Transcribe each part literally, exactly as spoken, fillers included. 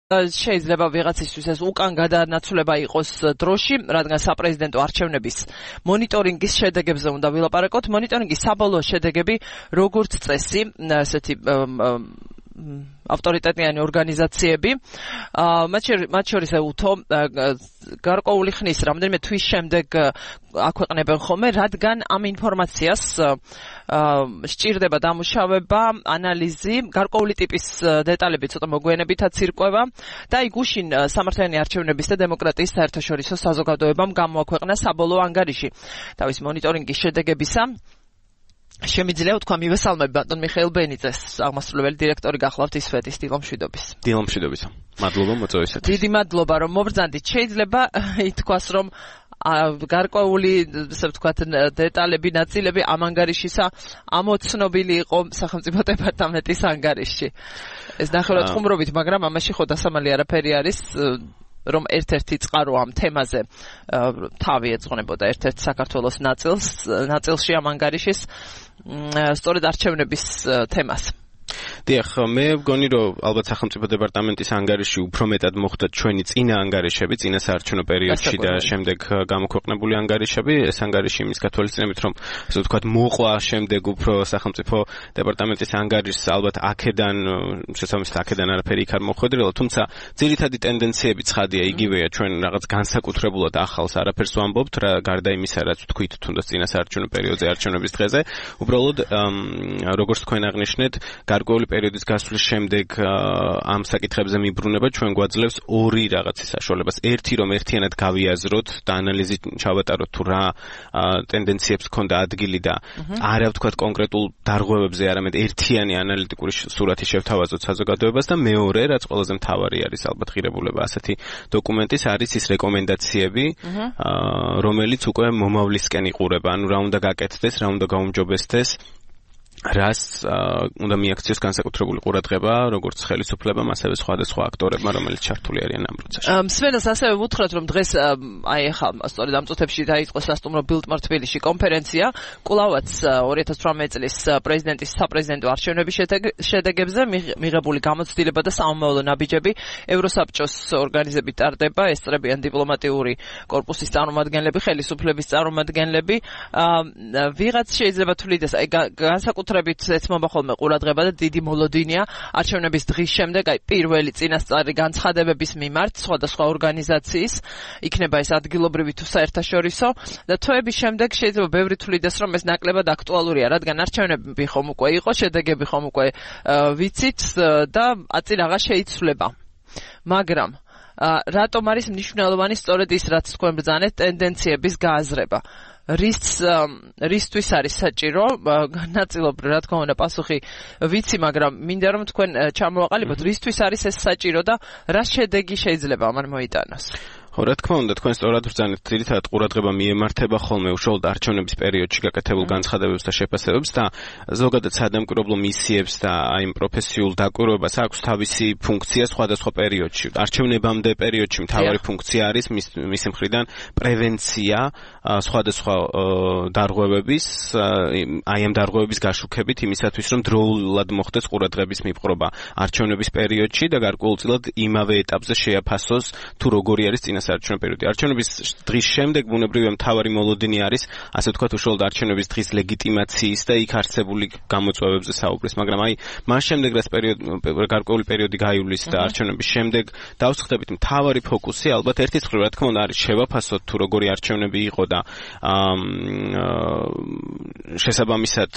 შეიძლება ვიღაცისთვის ეს უკან გადანაცვლება იყოს დროში, რადგან საპრეზიდენტო არჩევნების მონიტორინგის შედეგებზე უნდა ვილაპარაკოთ. მონიტორინგის საბოლოო შედეგები როგორც წესი, ესეთი ავტორიტეტიანი ორგანიზაციები, მათ შორის უთო გარკვეული ხნის რამდენიმე თვის შემდეგ აქვეყნებენ ხოლმე, რადგან ამ ინფორმაციას სჭირდება დამუშავება, ანალიზი, გარკვეული ტიპის დეტალები ცოტა მოგვიანებითაც ირკვევა და აი გუშინ სამართლიანი არჩევნების და დემოკრატიის საერთაშორისო საზოგადოებამ გამოაქვეყნა საბოლოო ანგარიში თავის მონიტორინგის შედეგებისა. შემიძლია ვთქვა მივესალმები ბატონ მიხეილ ბენიძეს, აღმასრულებელი დირექტორი გახლავთ ისვეთის დილომშვიდობის. დილომშვიდობის. მადლობა მოწვევისათვის. დიდი მადლობა რომ მობრძანდით. შეიძლება ითქვას რომ გარკვეული ესე ვთქვათ დეტალები, ნაწილები ამ ანგარიშისა ამოცნობილი იყო სახელმწიფო დეპარტამენტის ანგარიში. ეს ნახევრად ხუმრობით, მაგრამ ამაში ხო დასამალი არაფერი არის. რომ ერთ-ერთი წყარო ამ თემაზე თავი ეძღვნებოდა ერთ-ერთ საქართველოს ნაწილს, ნაწილში ამ ანგარიშის სწორედ არჩევნების თემას. დიახ, მე ვგონი რომ albათ სახელმწიფო დეპარტამენტის ანგარიში უფრო მეტად მოხდა ჩვენი წინა ანგარიშები, წინა საარჩევნო პერიოდში და შემდეგ გამოქვეყნებული ანგარიშები. ეს ანგარიში იმის გათვალისწინებით, რომ ასე ვთქვათ, მოყვა შემდეგ უფრო სახელმწიფო დეპარტამენტის ანგარიშს ალბათ აქედან, შესაბამისად აქედან არაფერი იქ არ მოხვედრილა, თუმცა ძირითადი ტენდენციები ცხადია, იგივეა, ჩვენ რაღაც განსაკუთრებულად ახალს არაფერს ვამბობთ, რა გარდა იმისა, რაც ვთქვით თუნდაც წინა საარჩევნო პერიოდზე არჩევნების დღეზე, უბრალოდ როგორც თქვენ აღნიშნეთ, გარკვეული პერიოდის გასვლის შემდეგ ამ საკითხებზე მიბრუნება ჩვენ გვაძლევს ორი რაღაცის საშუალებას. ერთი რომ ერთიანად გავიაზროთ და ანალიზი ჩავატაროთ თუ რა ტენდენციებს ქონდა ადგილი და არა ვთქვათ კონკრეტულ დარღვევებზე, არამედ ერთიანი ანალიტიკური სურათი შევთავაზოთ საზოგადოებას და მეორე, რაც ყველაზე მთავარი არის ალბათ ღირებულება ასეთი დოკუმენტის, არის ის რეკომენდაციები, რომელიც უკვე მომავლისკენ იყურება, ანუ რა უნდა გაკეთდეს, რა უნდა გაუმჯობესდეს. რას უნდა მიაქციოს განსაკუთრებული ყურადღება როგორც ხელისუფლებამ, ასევე სხვადასხვა აქტორებმა, რომელიც ჩართული არიან ამ პროცესში. მსმენელს ასევე ვუთხრათ, რომ დღეს აი ახლა სწორედ ამ წუთებში დაიწყო სასტუმრო ბილდმარ თბილისში კონფერენცია, კვლავაც ორი ათას თვრამეტი წლის პრეზიდენტის საპრეზიდენტო არჩევნების შედეგებზე მიღებული გამოცდილება და სამომავლო ნაბიჯები ევროსაბჭოს ორგანიზებით ტარდება, ესწრებიან დიპლომატიური კორპუსის წარმომადგენლები, ხელისუფლების წარმომადგენლები. ვიღაც შეიძლება თვლიდეს, აი განსაკუთრებით ეცმობა ხოლმე ყურადღება და დიდი მოლოდინია არჩევნების დღის შემდეგ, აი პირველი წინასწარი განცხადებების მიმართ სხვადასხვა ორგანიზაციის, იქნება ეს ადგილობრივი თუ საერთაშორისო და თვეების შემდეგ შეიძლება ბევრი თვლიდეს, რომ ეს ნაკლებად აქტუალურია, რადგან არჩევნები ხომ უკვე იყო, შედეგები ხომ უკვე ვიცით და აწი რაღაც შეიცვლება. მაგრამ რატომ არის მნიშვნელოვანი სწორედ ის, რაც თქვენ ბრძანეთ, ტენდენციების გააზრება? რის რისთვის არის საჭირო? ნაწილობრივ რა თქმა უნდა პასუხი ვიცი, მაგრამ მინდა რომ თქვენ ჩამოვაყალიბოთ, რისთვის არის ეს საჭირო და რა შედეგი შეიძლება ამან მოიტანოს? ხო, რა თქმა უნდა, თქვენ სწორად ბრძანეთ, ძირითადად ყურადღება მიემართება ხოლმე უშუალოდ არჩევნების პერიოდში გაკეთებულ განცხადებებს და შეფასებებს და ზოგადად სადამკვირვებლო მისიებს და აი იმ პროფესიულ დაკვირვებას აქვს თავისი ფუნქცია სხვადასხვა პერიოდში. არჩევნებამდე პერიოდში მთავარი ფუნქცია არის მისი მხრიდან პრევენცია სხვადასხვა დარღვევების, აი ამ დარღვევების გაშუქებით იმისათვის, რომ დროულად მოხდეს ყურადღების მიპყრობა არჩევნების პერიოდში და გარკვეულწილად იმავე ეტაპზე შეაფასოს თუ როგორი არის წინა საარჩევნო პერიოდი. არჩევნების დღის შემდეგ ბუნებრივია მთავარი მოლოდინი არის, ასე ვთქვათ, უშუალოდ არჩევნების დღის ლეგიტიმაციის და იქ არსებული გამოწვევებზე საუბრის, მაგრამ აი მას შემდეგ რაც პერიოდი გარკვეული პერიოდი გაივლის და არჩევნების შემდეგ დავსხდებით, მთავარი ფოკუსი ალბათ ერთის მხრივ რა თქმა უნდა არის შევაფასოთ თუ როგორი არჩევნები იყო და შესაბამისად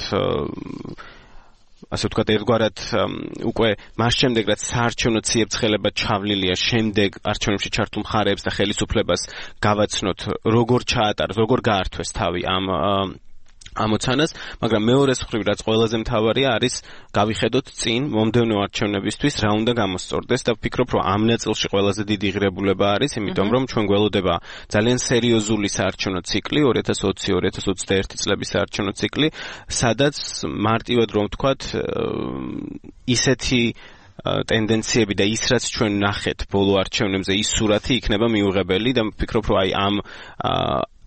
ასე ვთქვათ, ერთგვარად უკვე მას შემდეგ რაც საარჩევნო ციებ-ცხელება ჩავლილია, შემდეგ არჩევნებში ჩართულ მხარეებს და ხელისუფლებას გავაცნოთ, როგორ ჩაატაროს, როგორ გაართვეს თავი ამ ამოცანას, მაგრამ მეორეს მხრივ რაც ყველაზე მთავარია არის გავიხედოთ წინ მომდევნო არჩევნებისთვის რა უნდა გამოსწორდეს და ვფიქრობ, რომ ამ ნაწილში ყველაზე დიდი ღირებულება არის, იმიტომ რომ ჩვენ გველოდება ძალიან სერიოზული საარჩევნო ციკლი, ორი ათას ოცი ორი ათას ოცდაერთი წლების საარჩევნო ციკლი, სადაც მარტივად რომ ვთქვათ, ისეთი ტენდენციები და ის რაც ჩვენ ნახეთ ბოლო არჩევნებზე, ის სურათი იქნება მიუღებელი და ვფიქრობ, რომ აი ამ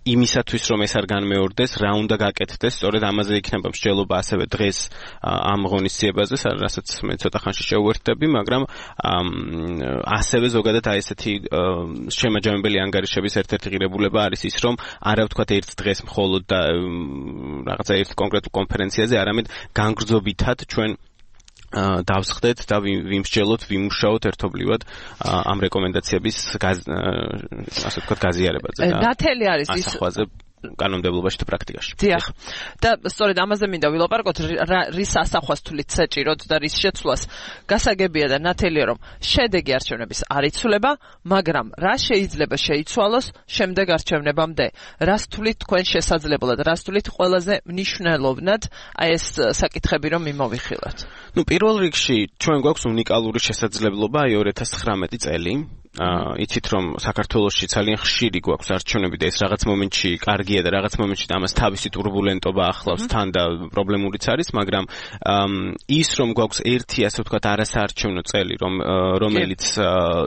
იმისათვის რომ ეს არ განმეორდეს, რა უნდა გაკეთდეს, სწორედ ამაზე იქნება მსჯელობა ასევე დღეს ამ ღონისძიებაზე, რასაც მე ცოტა ხანში შევუერთდები, მაგრამ ასევე ზოგადად აი ესეთი შემაჯამებელი ანგარიშების ერთ-ერთი ღირებულება არის ის, რომ არა ვთქვათ ერთ დღეს მხოლოდ და რაღაცა ერთ კონკრეტულ კონფერენციაზე, არამედ განგრძობითად ჩვენ დავსხდეთ და ვიმსჯელოთ, ვიმუშაოთ ერთობლივად ამ რეკომენდაციების ასე ვთქვათ გაზიარებაზე და ნათელი არის ის ასახვაზე კანონმდებლობაში და პრაქტიკაში. დიახ. და სწორედ ამაზე მინდა ვილაპარაკოთ, რის ასახვას თulit საჭიროდ და რის შეცვლას გასაგებია და ნათელია, რომ შედეგი არჩევნების არ იცვლება, მაგრამ რა შეიძლება შეიცვალოს შემდეგ არჩევნებამდე? რას თulit თქვენ შესაძლებლად, რას თulit ყველაზე მნიშვნელოვნად აი ეს საკითხები რომ მიმოვიხილოთ? ნუ პირველ რიგში ჩვენ გვაქვს უნიკალური შესაძლებლობა აი ორი ათას ცხრამეტი წელი. აა იცით რომ საქართველოში ძალიან ხშირი გვაქვს არჩევნები და ეს რაღაც მომენტში კარგია და რაღაც მომენტში ამას თავისი турბულენტობა ახლავს თან და პრობლემურიც არის, მაგრამ ის რომ გვაქვს ერთი ასე ვთქვათ არასაარჩევნო წელი, რომ რომელიც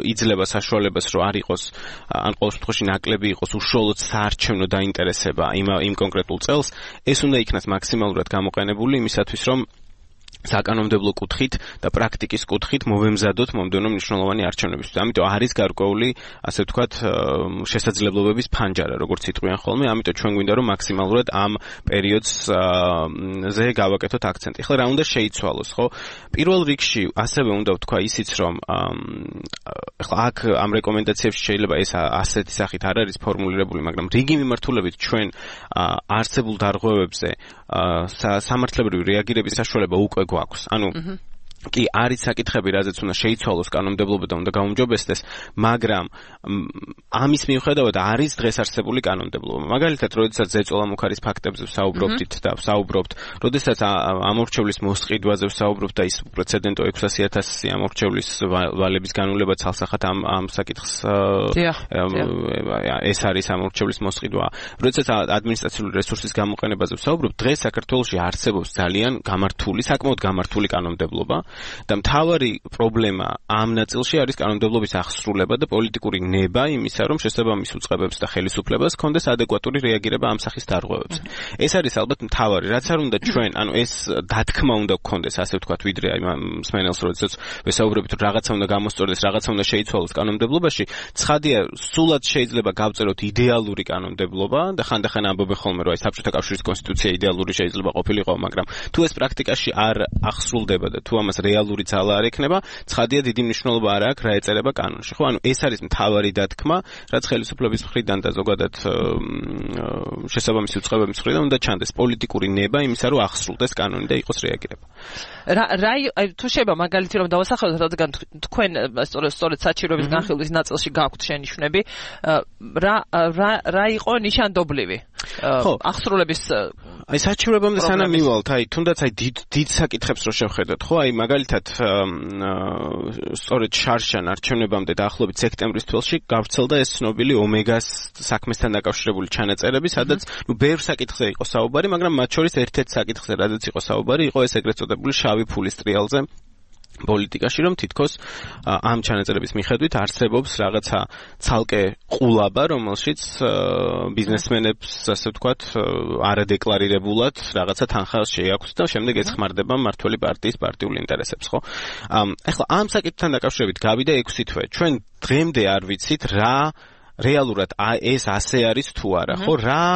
იძლევა საშუალებას რომ არ იყოს ან ყოველ შემთხვევაში ნაკლები იყოს უშუალოდ საარჩევნო დაინტერესება იმ იმ კონკრეტულ წელს, ეს უნდა იქნას მაქსიმალურად გამოყენებული იმისათვის რომ საკანონმდებლო კუთხით და პრაქტიკის კუთხით მოვემზადოთ მომდევნო მნიშვნელოვანი არჩევნებისთვის. ამიტომ არის გარკვეული, ასე ვთქვათ, შესაძლებლობების ფანჯარა, როგორც იტყვიან ხოლმე, ამიტომ ჩვენ გვინდა რომ მაქსიმალურად ამ პერიოდზე გავაკეთოთ აქცენტი. ახლა რა უნდა შეიცვალოს, ხო? პირველ რიგში ასევე უნდა ვთქვა ისიც, რომ ახლა აქ ამ რეკომენდაციებში შეიძლება ეს ასეთი სახით არ არის ფორმულირებული, მაგრამ რიგი მიმართულებით ჩვენ არსებულ დარღვევებზე სამართლებრივი რეაგირების საშუალება უკვე გვაქვს. ანუ კი არის საკითხები, რაზეც უნდა შეიცვალოს კანონმდებლობა და უნდა გაუმჯობესდეს, მაგრამ ამის მიუხედავად არის დღეს არსებული კანონმდებლობა. მაგალითად, როდესაც ზეწოლა მუქარის ფაქტებზე ვსაუბრობთ და ვსაუბრობთ, როდესაც ამორჩევლის მოსყიდვაზე ვსაუბრობთ და ის პრეცედენტო ექვსასი ათასი ამორჩევლის ვალების განულება ცალსახად ამ ამ საკითხს ეს არის ამორჩევლის მოსყიდვა. როდესაც ადმინისტრაციული რესურსის გამოყენებაზე ვსაუბრობთ, დღეს საქართველოში არსებობს ძალიან გამართული, საკმაოდ გამართული კანონმდებლობა. და მთავარი პრობლემა ამ ნაწილში არის კანონმდებლობის აღსრულება და პოლიტიკური ნება იმისა, რომ შესაბამის უწყებებს და ხელისუფლებას ჰქონდეს ადეკვატური რეაგირება ამ სახის დარღვევებზე. ეს არის ალბათ მთავარი, რაც არ უნდა ჩვენ, ანუ ეს დათქმა უნდა გქონდეს, ასე ვთქვათ, ვიდრე აი მსმენელს როდესაც ვესაუბრებით, რომ რაღაცა უნდა გამოსწორდეს, რაღაცა უნდა შეიცვალოს კანონმდებლობაში, ცხადია, სულად შეიძლება გავწეროთ იდეალური კანონმდებლობა და ხანდახან ამბობენ ხოლმე, რომ აი საბჭოთა კავშირის კონსტიტუცია იდეალური შეიძლება ყოფილიყო, მაგრამ თუ ეს პრაქტიკაში არ აღსრულდება და თუ ამას რეალური ძალა არ ექნება, ცხადია დიდი მნიშვნელობა არ აქვს რა ეწერება კანონში. ხო, ანუ ეს არის მთავარი დათქმა, რაც ხელისუფლების მხრიდან და ზოგადად შესაბამისი უწყებების მხრიდან უნდა ჩანდეს პოლიტიკური ნება იმისა, რომ აღსრულდეს კანონი და იყოს რეაგირება. რა რა თუ შეიძლება მაგალითი რომ დავასახელოთ, რადგან თქვენ სწორედ საჩიროების განხილვის ნაწილში გაქვთ შენიშვნები, რა რა რა იყო ნიშანდობლივი აღსრულების აი საჩივრებამდე სანამ მივალთ, აი თუნდაც აი დიდ დიდ საკითხებს რო შევხედოთ, ხო, აი მაგალითად სწორედ შარშან არჩევნებამდე დაახლოებით სექტემბრის თველში გავრცელდა ეს ცნობილი ომეგას საქმესთან დაკავშირებული ჩანაწერები, სადაც ნუ ბევრ საკითხზე იყო საუბარი, მაგრამ მათ შორის ერთ-ერთ საკითხზე, რადგან იყო საუბარი, იყო ეს ეგრეთ წოდებული შავი ფულის ტრიალზე პოლიტიკაში, რომ თითქოს ამ ჩანაწერების მიხედვით არსებობს რაღაცა ცალკე ყულაბა, რომელშიც ბიზნესმენებს, ასე ვთქვათ, არადეკლარირებულად რაღაცა თანხა შეაქვთ და შემდეგ ეცხმარდება მმართველი პარტიის პარტიულ ინტერესებს, ხო? ახლა ამ საკითხთან დაკავშირებით გავიდა ექვსი თვე. ჩვენ დღემდე არ ვიცით რა რეალურად ეს ასე არის თუ არა, ხო? რა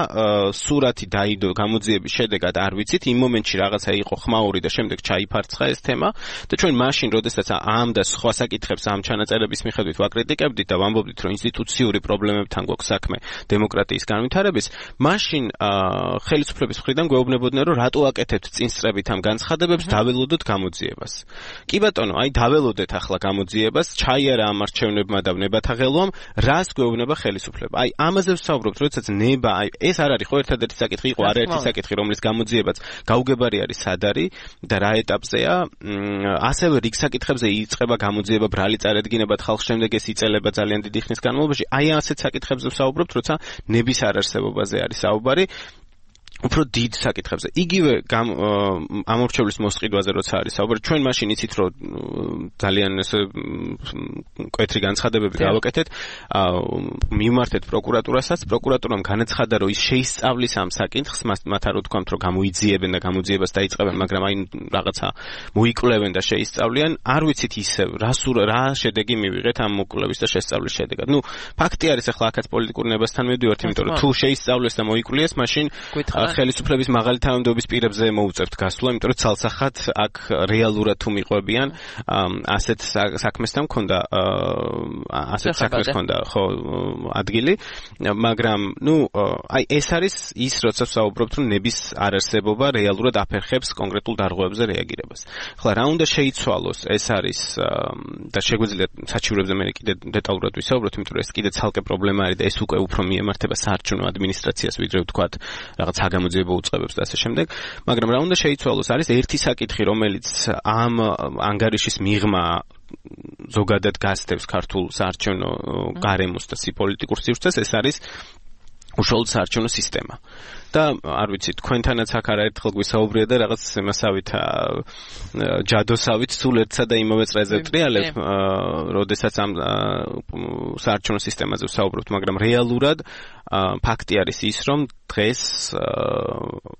სურათი დაიდო გამოძიების შედეგად არ ვიცით, იმ მომენტში რაღაცა იყო ხმაური და შემდეგ ჩაიფარცხა ეს თემა და ჩვენ მაშინ, როდესაც ამ და სხვა საკითხებს ამ ჩანაწერების მიხედვით ვაკრიტიკებდით და ვამბობდით, რომ ინსტიტუციური პრობლემებთან გვაქვს საქმე დემოკრატიის განვითარების, მაშინ ხელისუფლების მხრიდან გვეუბნებოდნენ, რომ რატო აკეთებთ წინსწრებით ამ განცხადებებს, დაველოდოთ გამოძიებას. კი ბატონო, აი დაველოდეთ ახლა გამოძიებას, ჩაიარა ამ არჩევნებმა და ნებათაღელვამ, რას გვეუბნება ხელისუფლება. აი ამაზე ვსაუბრობთ, როდესაც ნება, აი ეს არ არის ხო ერთადერთი საკითხი, იყო არაერთი საკითხი, რომლის გამოძიებაც გაუგებარი არის სად არის და რა ეტაპზეა. ასევე რიგ საკითხებზე იწყება გამოძიება, ბრალი წარედგინებად ხალხს, შემდეგ ეს იწელება ძალიან დიდი ხნის განმავლობაში. აი ასეთ საკითხებზე ვსაუბრობთ, როცა ნების არარსებობაზე არის საუბარი. უფრო დიდ საკითხებზე. იგივე ამორჩევლის მოსყიდვაზე როცა არის საუბარი, ჩვენ მაშინ იცით რომ ძალიან ესე კვეთრი განცხადებები გავაკეთეთ, მივმართეთ პროკურატურასაც, პროკურატურამ განაცხადა რომ ის შეისწავლის ამ საკითხს, მათ არ უთქვამთ რომ გამოიძიებენ და გამოძიებას დაიწყებენ, მაგრამ აი რაღაცა მოიკვლევენ და შეისწავლიან, არ ვიცით ისევ რა რა შედეგი მივიღეთ ამ მოკვლევის და შესწავლის შედეგად. ნუ ფაქტი არის ახლა აქაც პოლიტიკური ნებასთან მივდივართ, იმიტომ რომ თუ შეისწავლეს და მოიკვლიეს, მაშინ ხელისუფლების მაღალი თანამდებობის პირებზე მოუწევთ გასვლა, იმიტომ რომ ცალსახად აქ რეალურად თუ მიყვებიან ასეთ საქმესთან მქონდა ასეთ საქმეს მქონდა ხო ადგილი, მაგრამ ნუ აი ეს არის ის, როცა ვსაუბრობთ, რომ ნების არარსებობა რეალურად აფერხებს კონკრეტულ დარღვევებზე რეაგირებას. ახლა რა უნდა შეიცვალოს, ეს არის და შეგვიძლია საჩივრებზე მე კიდე დეტალურად ვისაუბროთ, იმიტომ რომ ეს კიდე ცალკე პრობლემა არის და ეს უკვე უფრო მიემართება საარჩევნო ადმინისტრაციას, ვიდრე ვთქვათ რაღაც საგამოძიებო უწყებებს და ასე შემდეგ, მაგრამ რა უნდა შეიცვალოს არის ერთი საკითხი, რომელიც ამ ანგარიშის მიღმა ზოგადად გასდევს ქართულ საარჩევნო გარემოს და პოლიტიკურ სივრცეს, ეს არის უშუალოდ საარჩევნო სისტემა. და არ ვიცი, თქვენთანაც აქ არაერთხელ გვისაუბრია და რაღაც იმასავით ჯადოსავით სულ ერთსა და იმავე წრეზე ვტრიალებ, როდესაც ამ საარჩევნო სისტემაზე ვსაუბრობთ, მაგრამ რეალურად ფაქტი არის ის, რომ დღეს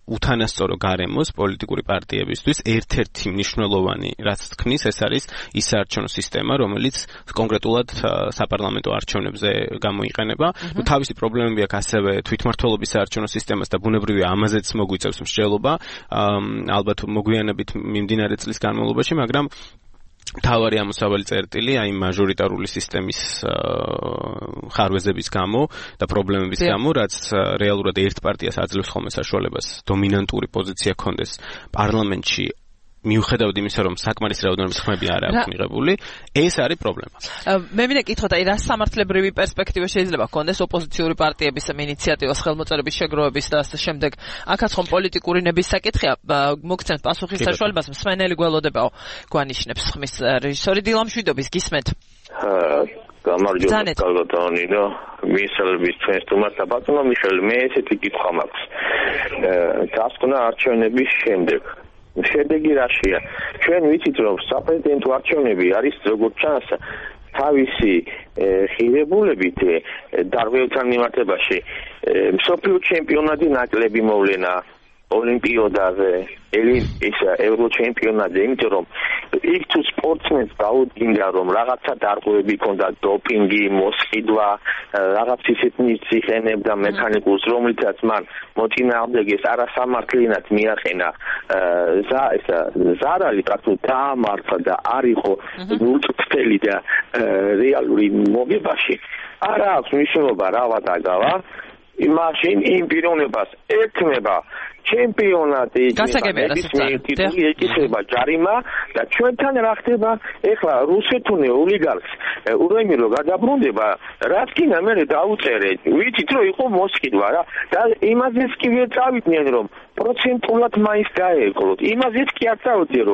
უთანასწორო გარემოს პოლიტიკური პარტიებისთვის ერთ-ერთი მნიშვნელოვანი, რაც თქმის, ეს არის ის საარჩევნო სისტემა, რომელიც კონკრეტულად საპარლამენტო არჩევნებზე გამოიყენება. თავისი პრობლემები აქვს ასევე თვითმმართველობის საარჩევნო სისტემას და ბუნებრივია ამაზეც მოგვიწევს მსჯელობა, ალბათ მოგვიანებით მიმდინარე წლის განმავლობაში, მაგრამ თავარი ამოსავალი წერტილი აი მაჟორიტარული სისტემის ხარვეზების გამო და პრობლემების გამო, რაც რეალურად ერთ პარტიას აძლევს ხოლმე საშუალებას დომინანტური პოზიცია ჰქონდეს პარლამენტში, მიუხედავად იმისა, რომ საკმარის რაოდენობის ხმები არ აქვს მიღებული, ეს არის პრობლემა. მე მინდა კითხოთ, აი რა სამართლებრივი პერსპექტივა შეიძლება ჰქონდეს ოპოზიციური პარტიების ინიციატივას, ხელმოწერების შეგროვების და ასე შემდეგ. აქაც ხომ პოლიტიკური ნების საკითხია, მოგცემთ პასუხის საშუალებას, მსმენელი გველოდებაო, გვანიშნებს ხმის რეჟისორი დილამშვიდობის, გისმენთ. გამარჯობა კალბატონი და მისალების ჩვენს თუმას და ბატონო მიხელ, მე ესეთი კითხვა მაქვს. დასკვნა არჩევნების შემდეგ შედეგი რაშია? ჩვენ ვიცით, რომ საპრეზიდენტო არჩევნები არის როგორც ჩანს თავისი ღირებულებით დარღვევთან მიმართებაში მსოფლიო ჩემპიონატი ნაკლები მოვლენა ოლიმპიოდაზე, ის ევრო ჩემპიონატზე, იმიტომ რომ იქ თუ სპორტსმენს დაუდგინდა, რომ რაღაცა დარღვევები ქონდა, დოპინგი, მოსყიდვა, რაღაც ისეთი ციხენებდა მექანიკურს, რომლითაც მან მოწინააღმდეგეს არასამართლიანად მიაყენა ზარალი, პრაქტიკულად დაამარცხა და არ იყო ნულწრფელი და რეალური მოგებაში. არა აქვს მნიშვნელობა რა ვადაგავა, მაშინ იმ პიროვნებას ეთმება ჩემპიონატი, ტიტული ეკისრება ჯარიმა და ჩვენთან რა ხდება? ეხლა რუსეთუნე ოლიგარქს ურემი რო გადაბრუნდება, რაც კიდე მე დაუწერეთ, ვიცით რომ იყო მოსყიდვა რა და იმაზეც კი ვერ წავიდნენ, რომ პროცენტულად მაინც გაეკლოთ. იმაზეც კი არ წავიდნენ,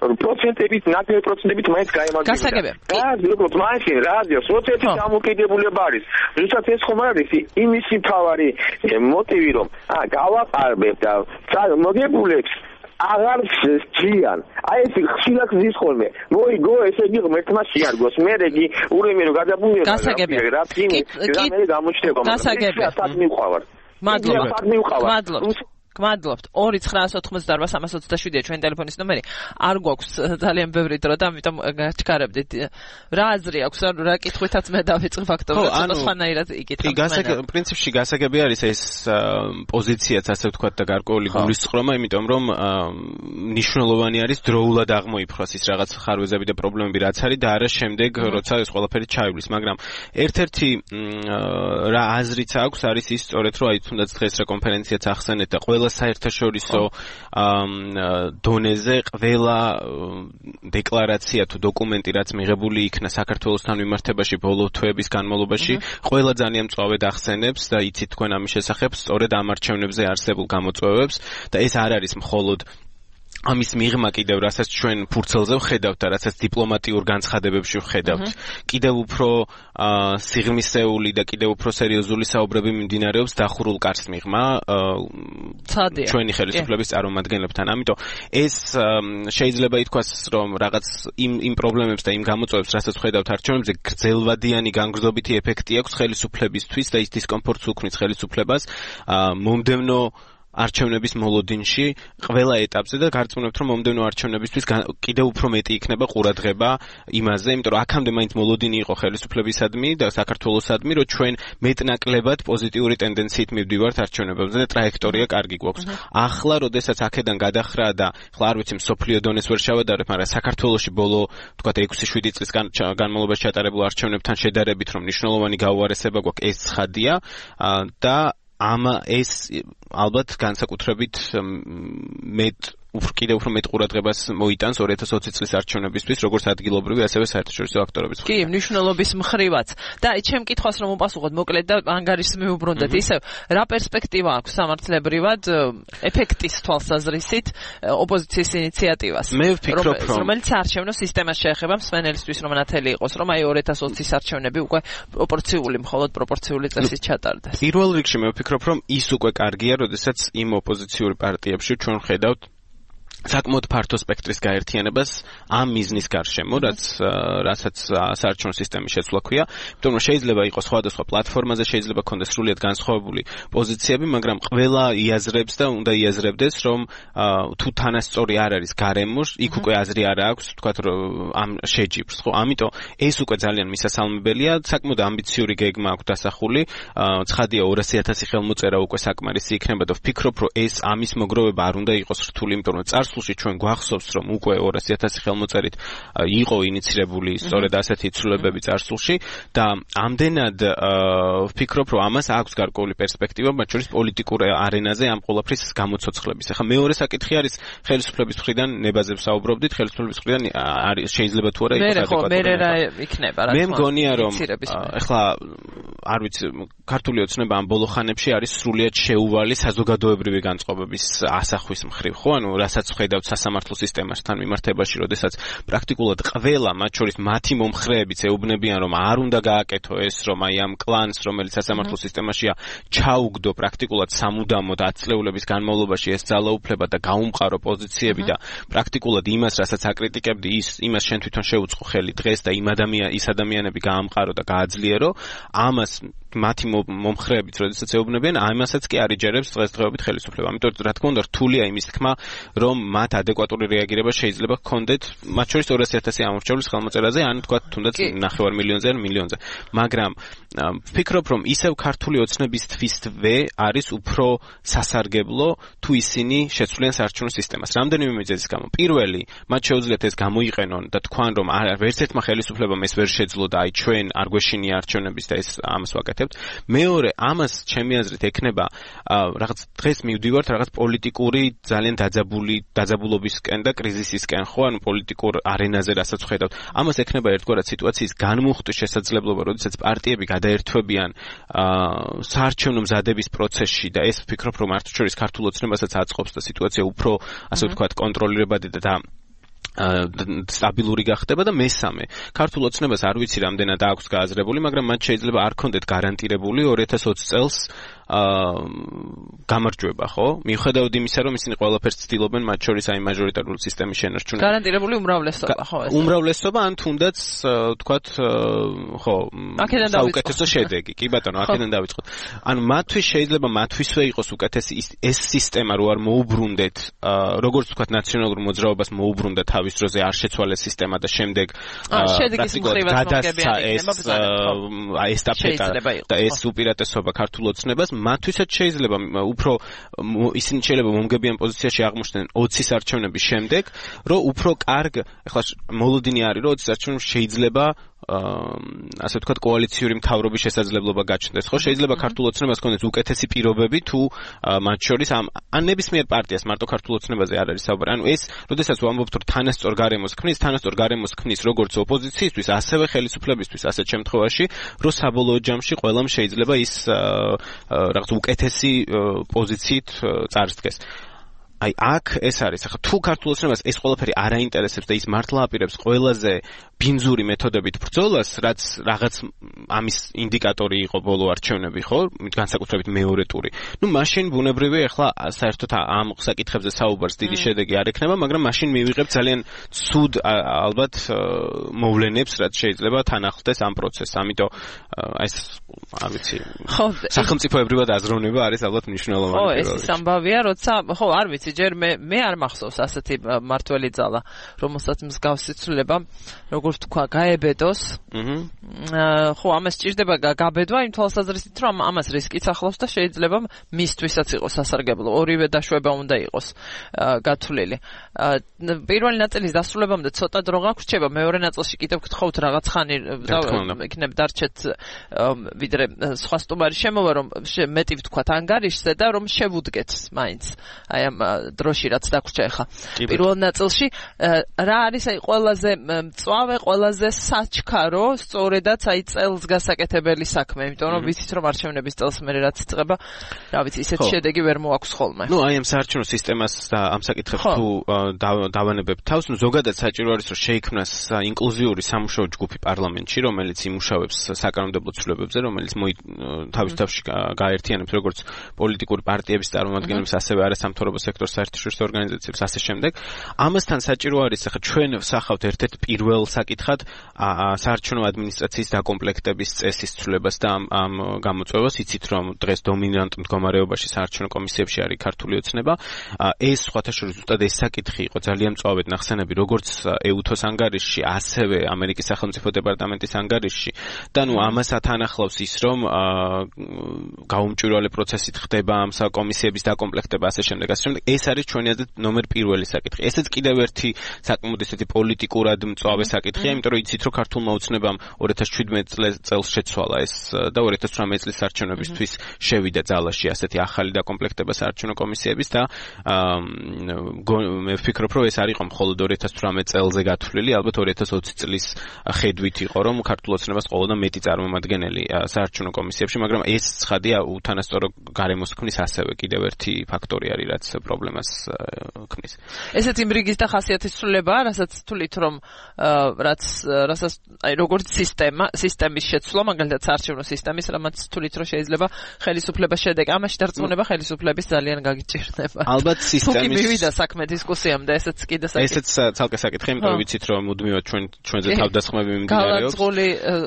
რომ პროცენტებით, ნაკლები პროცენტებით მაინც გაემაგრებოდა. გასაგებია. გააძლევთ მაინც რაზეა, სოციალური დამოკიდებულება არის. როდესაც ეს ხომ არის იმისი თავარი მოტივი, რომ აა გავაყარებებ და მოგებულებს აღარ სჯიან. აი ეს ხშირად ზის ხოლმე. მოიგო, ესე იგი ღმერთმა შეარგოს. მე რეგი ურემი რო გადაბუნდება. გასაგებია. რა წინი, რა მე გამოჩნდება. გასაგებია. სად მივყავარ. მადლობა. მადლობა. გმადლობთ. ორი ცხრაას ოცდაოთხმოცდაარბა სამას ოცდაშვიდია ჩვენი ტელეფონის ნომერი. არ გვაქვს ძალიან ბევრი დრო და ამიტომ გაჩქარებდით. რა აზრი აქვს, რა კითხვითაც მე დავიწყე ფაქტობრივად, ცოტა სხვანაირად იკითხავ. კი, პრინციპში გასაგები არის ეს პოზიციაც, ასე ვთქვათ, და გარკვეული გულისწყრომა, იმიტომ რომ მნიშვნელოვანი არის დროულად აღმოიფხვრას ის რაღაც ხარვეზები და პრობლემები, რაც არის და არა შემდეგ, როცა ეს ყველაფერი ჩაივლის. მაგრამ ერთ-ერთი რა აზრიც აქვს, არის ის სწორედ, რომ აი თუნდაც დღეს რა კონფერენციაც ახსენეთ და ყველა საერთაშორისო დონეზე ყველა დეკლარაცია თუ დოკუმენტი, რაც მიღებული იქნა საქართველოსთან მიმართებაში ბოლო თვეების განმავლობაში, ყველა ძალიან მწვავედ ახსენებს და იცით თქვენ ამის შესახებ სწორედ ამ არჩევნებზე არსებულ გამოწვევებს და ეს არ არის მხოლოდ ამის მიღმა კიდევ რასაც ჩვენ ფურცელზე ვხედავთ და რასაც დიპლომატიურ განცხადებებში ვხედავთ, კიდევ უფრო სიღრმისეული და კიდევ უფრო სერიოზული საუბრები მიმდინარეობს დახურულ კარს მიღმა ჩვენი ხელისუფლების წარმომადგენლებთან. ამიტომ ეს შეიძლება ითქვას, რომ რაღაც იმ იმ პრობლემებს და იმ გამოწვევებს, რასაც ვხედავთ არჩევნებზე, გრძელვადიანი განგრძობითი ეფექტი აქვს ხელისუფლებისთვის და ის დისკომფორტს უქმნის ხელისუფლებას მომდევნო არჩევნების მოლოდინში ყველა ეტაპზე და გარწმუნებთ, რომ მომდევნო არჩევნებისთვის კიდევ უფრო მეტი იქნება ყურადღება იმაზე, იმიტომ რომ აქამდე მაინც მოლოდინი იყო ხელისუფლებისადმი და საქართველოსადმი, რომ ჩვენ მეტნაკლებად პოზიტიური ტენდენციით მივდივართ არჩევნებებზე და ტრაექტორია კარგი გვაქვს. ახლა, როდესაც აქედან გადახრა და ახლა არ ვიცი მსოფლიო დონეს ვერ შევადარებ, მაგრამ საქართველოში ბოლო, თქვათ ექვსი შვიდი წლის განმავლობაში ჩატარებულ არჩევნებთან შედარებით, რომ მნიშვნელოვანი გაუარესება გვაქვს, ეს ცხადია და ამ ეს ალბათ განსაკუთრებით მეტ უფრო კიდევ უფრო მეტ ყურადღებას მოიტანს ორი ათას ოცი წლის არჩევნებისთვის, როგორც ადგილობრივი, ასევე საერთაშორისო აქტორების მხარეს. კი, მნიშვნელობის მხრივაც. და ჩემ კითხვას რომ უპასუხოთ მოკლედ და ანგარიშს მიუბრუნდეთ, ისევ რა პერსპექტივა აქვს სამართლებრივად ეფექტის თვალსაზრისით ოპოზიციის ინიციატივას, მე ვფიქრობ, რომ რომელიც არჩევნო სისტემას შეეხება მსმენელისთვის, რომ ნათელი იყოს, რომ აი ორი ათას ოცის არჩევნები უკვე პროპორციული, მხოლოდ პროპორციული წესით ჩატარდეს. პირველ რიგში მე ვფიქრობ, რომ ის უკვე კარგია, როდესაც იმ ოპოზიციური პარტიებში ჩვენ ხედავთ საკმაოდ ფართო სპექტრის გაერთიანებას ამ მიზნის გარშემო, რაც რასაც საარჩევნო სისტემის შეცვლა ქვია, იმიტომ რომ შეიძლება იყოს სხვადასხვა პლატფორმაზე, შეიძლება კონდეს სრულიად განსხვავებული პოზიციები, მაგრამ ყველა იაზრებს და უნდა იაზრებდეს, რომ თუ თანასწორი არ არის გარემო, იქ უკვე აზრი არ აქვს, თქვათ რომ ამ შეჯიბრს, ხო? ამიტომ ეს უკვე ძალიან მისასალმებელია, საკმაოდ ამბიციური გეგმა აქვს დასახული, ცხადია ორასი ათასი ხელმოწერა უკვე საკმარისი იქნება და ვფიქრობ, რომ ეს ამის მოგროვება არ უნდა იყოს რთული, იმიტომ რომ წარსულში ჩვენ გვახსოვს, რომ უკვე ორასი ათასი ხელმოწერით იყო ინიცირებული სწორედ ასეთი ცვლილებები წარსულში და ამდენად ვფიქრობ, რომ ამას აქვს გარკვეული პერსპექტივა, მათ შორის პოლიტიკურ არენაზე ამ ყველაფრის გამოცოცხლების. ახლა მეორე საკითხი არის ხელისუფლების მხრიდან ნებაზე ვსაუბრობდით, ხელისუფლების მხრიდან არის შეიძლება თუ არა იყოს ადეკვატური. მე რა იქნება რა. მე მგონია, რომ ახლა არ ვიცი, ქართული ოცნება ამ ბოლო ხანებში არის სრულიად შეუვალი საზოგადოებრივი განწყობების ასახვის მხრივ, ხო? ანუ რასაც ხედავთ სასამართლო სისტემასთან მიმართებაში, როდესაც პრაქტიკულად ყველა, მათ შორის მათი მომხრეებიც ეუბნებიან, რომ არ უნდა გააკეთო ეს, რომ აი ამ კლანს, რომელიც სასამართლო სისტემაშია, ჩაუგდო პრაქტიკულად სამუდამოდ ათწლეულების განმავლობაში ეს ძალაუფლება და გაუმყარო პოზიციები და პრაქტიკულად იმას, რასაც აკრიტიკებდი, ის იმას შენ თვითონ შეუწყო ხელი დღეს და იმ ადამიან ის ადამიანები გაამყარო და გააძლიერო, ამას მათი მომხრეებიც, როდესაც ეუბნებიან, ამასაც კი არ იჯერებს დღესდღეობით ხელისუფლება. ამიტომ რა თქმა უნდა რთულია იმის თქმა, რომ მათ ადეკვატური რეაგირება შეიძლება ჰქონდეთ, მათ შორის ორასი ათასი ამორჩევლის ხელმოწერაზე, ან თქვა თუნდაც ნახევარ მილიონზე ან მილიონზე. მაგრამ ვფიქრობ, რომ ისევ ქართული ოცნების თვისთვე არის უფრო სასარგებლო, თუ ისინი შეცვლიან საარჩევნო სისტემას. რამდენიმე მიზეზის გამო. პირველი, მათ შეუძლიათ ეს გამოიყენონ და თქვან, რომ ვერც ერთმა ხელისუფლებამ ეს ვერ შეძლო და აი ჩვენ არ გვეშინია არჩევნების და ეს ამას ვაკეთებთ. მეორე, ამას ჩემი აზრით ექნება რაღაც დღეს მივდივართ რაღაც პოლიტიკური ძალიან დაძაბული დაძაბულობისკენ და კრიზისისკენ, ხო, ანუ პოლიტიკურ არენაზე რასაც ხედავთ. ამას ექნება ერთგვარად სიტუაციის განმუხტვის შესაძლებლობა, როდესაც პარტიები გადაერთვებიან საარჩევნო მზადების პროცესში და ეს ვფიქრობ, რომ არც შორის ქართულ ოცნებასაც აწყობს და სიტუაცია უფრო, ასე ვთქვათ, კონტროლირებადი და სტაბილური გახდება და მესამე, ქართულ ოცნებას არ ვიცი რამდენად აქვს გააზრებული, მაგრამ მათ შეიძლება არ ქონდეთ გარანტირებული ორი ათას ოცი წელს გამარჯვება, ხო? მიუხედავად იმისა, რომ ისინი ყველაფერს ცდილობენ, მათ შორის აი მაჟორიტარული სისტემის შენარჩუნება. გარანტირებული უმრავლესობა, ხო? უმრავლესობა ან თუნდაც თქვათ, ხო, საუკეთესო შედეგი. კი ბატონო, აქედან დავიწყოთ. ანუ მათთვის შეიძლება მათთვისვე იყოს უკეთესი ეს სისტემა, რო არ მოუბრუნდეთ, როგორც თქვათ ნაციონალურ მოძრაობას მოუბრუნდა თავის დროზე არ შეცვალეს სისტემა და შემდეგ პრაქტიკულად გადასცა ეს ესტაფეტა და ეს უპირატესობა ქართულ ოცნებას. მათთვისაც შეიძლება უფრო ისინი შეიძლება მომგებიან პოზიციაში აღმოჩნდნენ ოცის არჩევნების შემდეგ, რომ უფრო კარგ, ეხლა მოლოდინი არის, რომ ოცის არჩევნებში შეიძლება ასე ვთქვათ კოალიციური მთავრობის შესაძლებლობა გაჩნდეს, ხო? შეიძლება ქართულ ოცნებას ქონდეს უკეთესი პირობები თუ მათ შორის ამ ან ნებისმიერ პარტიას, მარტო ქართულ ოცნებაზე არ არის საუბარი. ანუ ეს, როდესაც ვამბობთ, რომ თანასწორ გარემოს ქმნის, თანასწორ გარემოს ქმნის როგორც ოპოზიციისთვის, ასევე ხელისუფლებისთვის, ასეთ შემთხვევაში, რომ საბოლოო ჯამში ყველამ შეიძლება ის რაღაც უკეთესი პოზიციით წარსდგეს. აი აქ ეს არის ახლა თუ ქართულ ოცნებას ეს ყველაფერი არ აინტერესებს და ის მართლა აპირებს ყველაზე ბინძური მეთოდებით ბრძოლას, რაც რაღაც ამის ინდიკატორი იყო ბოლო არჩევნები, ხო? განსაკუთრებით მეორე ტური. ნუ მაშინ ბუნებრივია ახლა საერთოდ ამ საკითხებზე საუბარს დიდი შედეგი არ ექნება, მაგრამ მაშინ მივიღებ ძალიან ცუდ ალბათ მოვლენებს, რაც შეიძლება თან ახლდეს ამ პროცესს. ამიტომ ეს არ ვიცი. ხო, სახელმწიფოებრივად აზროვნება არის ალბათ მნიშვნელოვანი. ხო, ეს ამბავია, როცა ხო, არ ვიცი, ჯერ მე მე არ მახსოვს ასეთი მართველი ძალა, რომელსაც მსგავსი ცვლილება, როგორ თქვა, გაებედოს. აჰა. ხო, ამას სჭირდება გაბედვა იმ თვალსაზრისით, რომ ამას რისკიც ახლავს და შეიძლება მისთვისაც იყოს სასარგებლო. ორივე დაშვება უნდა იყოს გათვლილი. პირველი ნაწილის დასრულებამდე ცოტა დრო გაგვრჩება, მეორე ნაწილში კიდევ გთხოვთ რაღაც ხანი იქნებ დარჩეთ ვიდრე სხვა სტუმარი შემოვა, რომ მეტი ვთქვათ ანგარიშზე და რომ შევუდგეთ მაინც აი ამ დროში რაც დაგვრჩა ახლა. პირველ ნაწილში რა არის აი ყველაზე მწვავე, ყველაზე საჩქარო, სწორედაც აი წელს გასაკეთებელი საქმე, იმიტომ რომ ვიცით რომ არჩევნების წელს მე რაც იწყება, რა ვიცი, ისეთ შედეგი ვერ მოაქვს ხოლმე. ნუ აი ამ საარჩევნო სისტემას და ამ საკითხებს თუ დავანებებთ თავს, ნუ ზოგადად საჭირო არის რომ შეიქმნას ინკლუზიური სამუშაო ჯგუფი პარლამენტში, რომელიც იმუშავებს საკანონმდებლო ცვლილებებზე, რომელიც თავის თავში გააერთიანებს როგორც პოლიტიკური პარტიების წარმომადგენლებს, ასევე არასამთავრობო სექტორის საერთაშორისო ორგანიზაციებს, ასე შემდეგ. ამასთან საჭირო არის ახლა ჩვენ ვსახავთ ერთ-ერთ პირველ საკითხად საარჩევნო ადმინისტრაციის დაკომპლექტების წესის ცვლილებას და ამ ამ გამოწვევას. იცით რომ დღეს დომინანტ მდგომარეობაში საარჩევნო კომისიებში არის ქართული ოცნება. ეს სხვათა შორის ზუსტად ეს საკითხი იყო ძალიან მწვავედ ნახსენები, როგორც ეუთოს ანგარიშში, ასევე ამერიკის სახელმწიფო დეპარტამენტის ანგარიშში. და ნუ ამას ათანახლავს ის, რომ გაუმჭვირვალე პროცესით ხდება ამ საკომისიების დაკომპლექტება, ასე შემდეგ, ასე შემდეგ. ეს არის ჩვენი აზრით ნომერ პირველი საკითხი. ესეც კიდევ ერთი საკმაოდ ისეთი პოლიტიკურად მწვავე საკითხია, იმიტომ რომ იცით რომ ქართულმა ოცნებამ ორი ათას შვიდმეტ წელს შეცვალა ეს და ორი ათას თვრამეტ წლის არჩევნებისთვის შევიდა ძალაში ასეთი ახალი დაკომპლექტება საარჩევნო კომისიების და მე ვფიქრობ რომ ეს არ იყო მხოლოდ ორი ათას თვრამეტ წელზე გათვლილი, ალბათ ორი ათას ოცი წლის ხედვით იყო რომ ქართულ ოცნებას ყოლოდა მეტი წარმომადგენელი საარჩევნო კომისიებში, მაგრამ ეს ცხადია უთანასწორო გარემოს ქმნის ასევე კიდევ ერთი ფაქტორი არის, რაც პრობლემას ქმნის. ესეც იმ რიგის და ხასიათის ცვლილებაა, რასაც თვლით რომ რაც რასაც აი როგორც სისტემა, სისტემის შეცვლა, მაგალითად საარჩევნო სისტემის, რამაც თვლით რომ შეიძლება ხელისუფლებას შედეგი, ამაში დარწმუნება ხელისუფლების ძალიან გაგიჭირდება. ალბათ სისტემის თუ კი მივიდა საქმე დისკუსიამდე, ესეც კიდე საკითხი. ესეც ცალკე საკითხი, იმიტომ რომ ვიცით რომ მუდმივად ჩვენ ჩვენზე თავდასხმები მიმდინარეობს. გალაძღული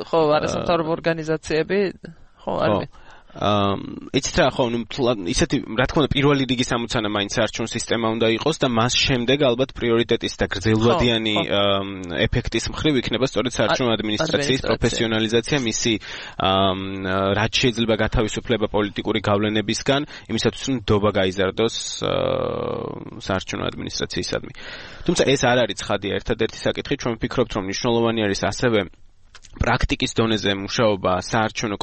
ხო არასამთავრობო ორგანიზაციები, ხო არის. აა იცით რა ხო, ნუ ისეთი რა თქმა უნდა პირველი რიგის ამოცანა მაინც საარჩევნო სისტემა უნდა იყოს და მას შემდეგ ალბათ პრიორიტეტის და გრძელვადიანი ეფექტის მხრივ იქნება სწორედ საარჩევნო ადმინისტრაციის პროფესიონალიზაცია, მისი რაც შეიძლება გათავისუფლება პოლიტიკური გავლენებისგან, იმისათვის რომ ნდობა გაიზარდოს საარჩევნო ადმინისტრაციისადმი. თუმცა ეს არ არის ცხადია ერთადერთი საკითხი, ჩვენ ვფიქრობთ რომ მნიშვნელოვანი არის ასევე პრაქტიკის დონეზე მუშაობა საარჩევნო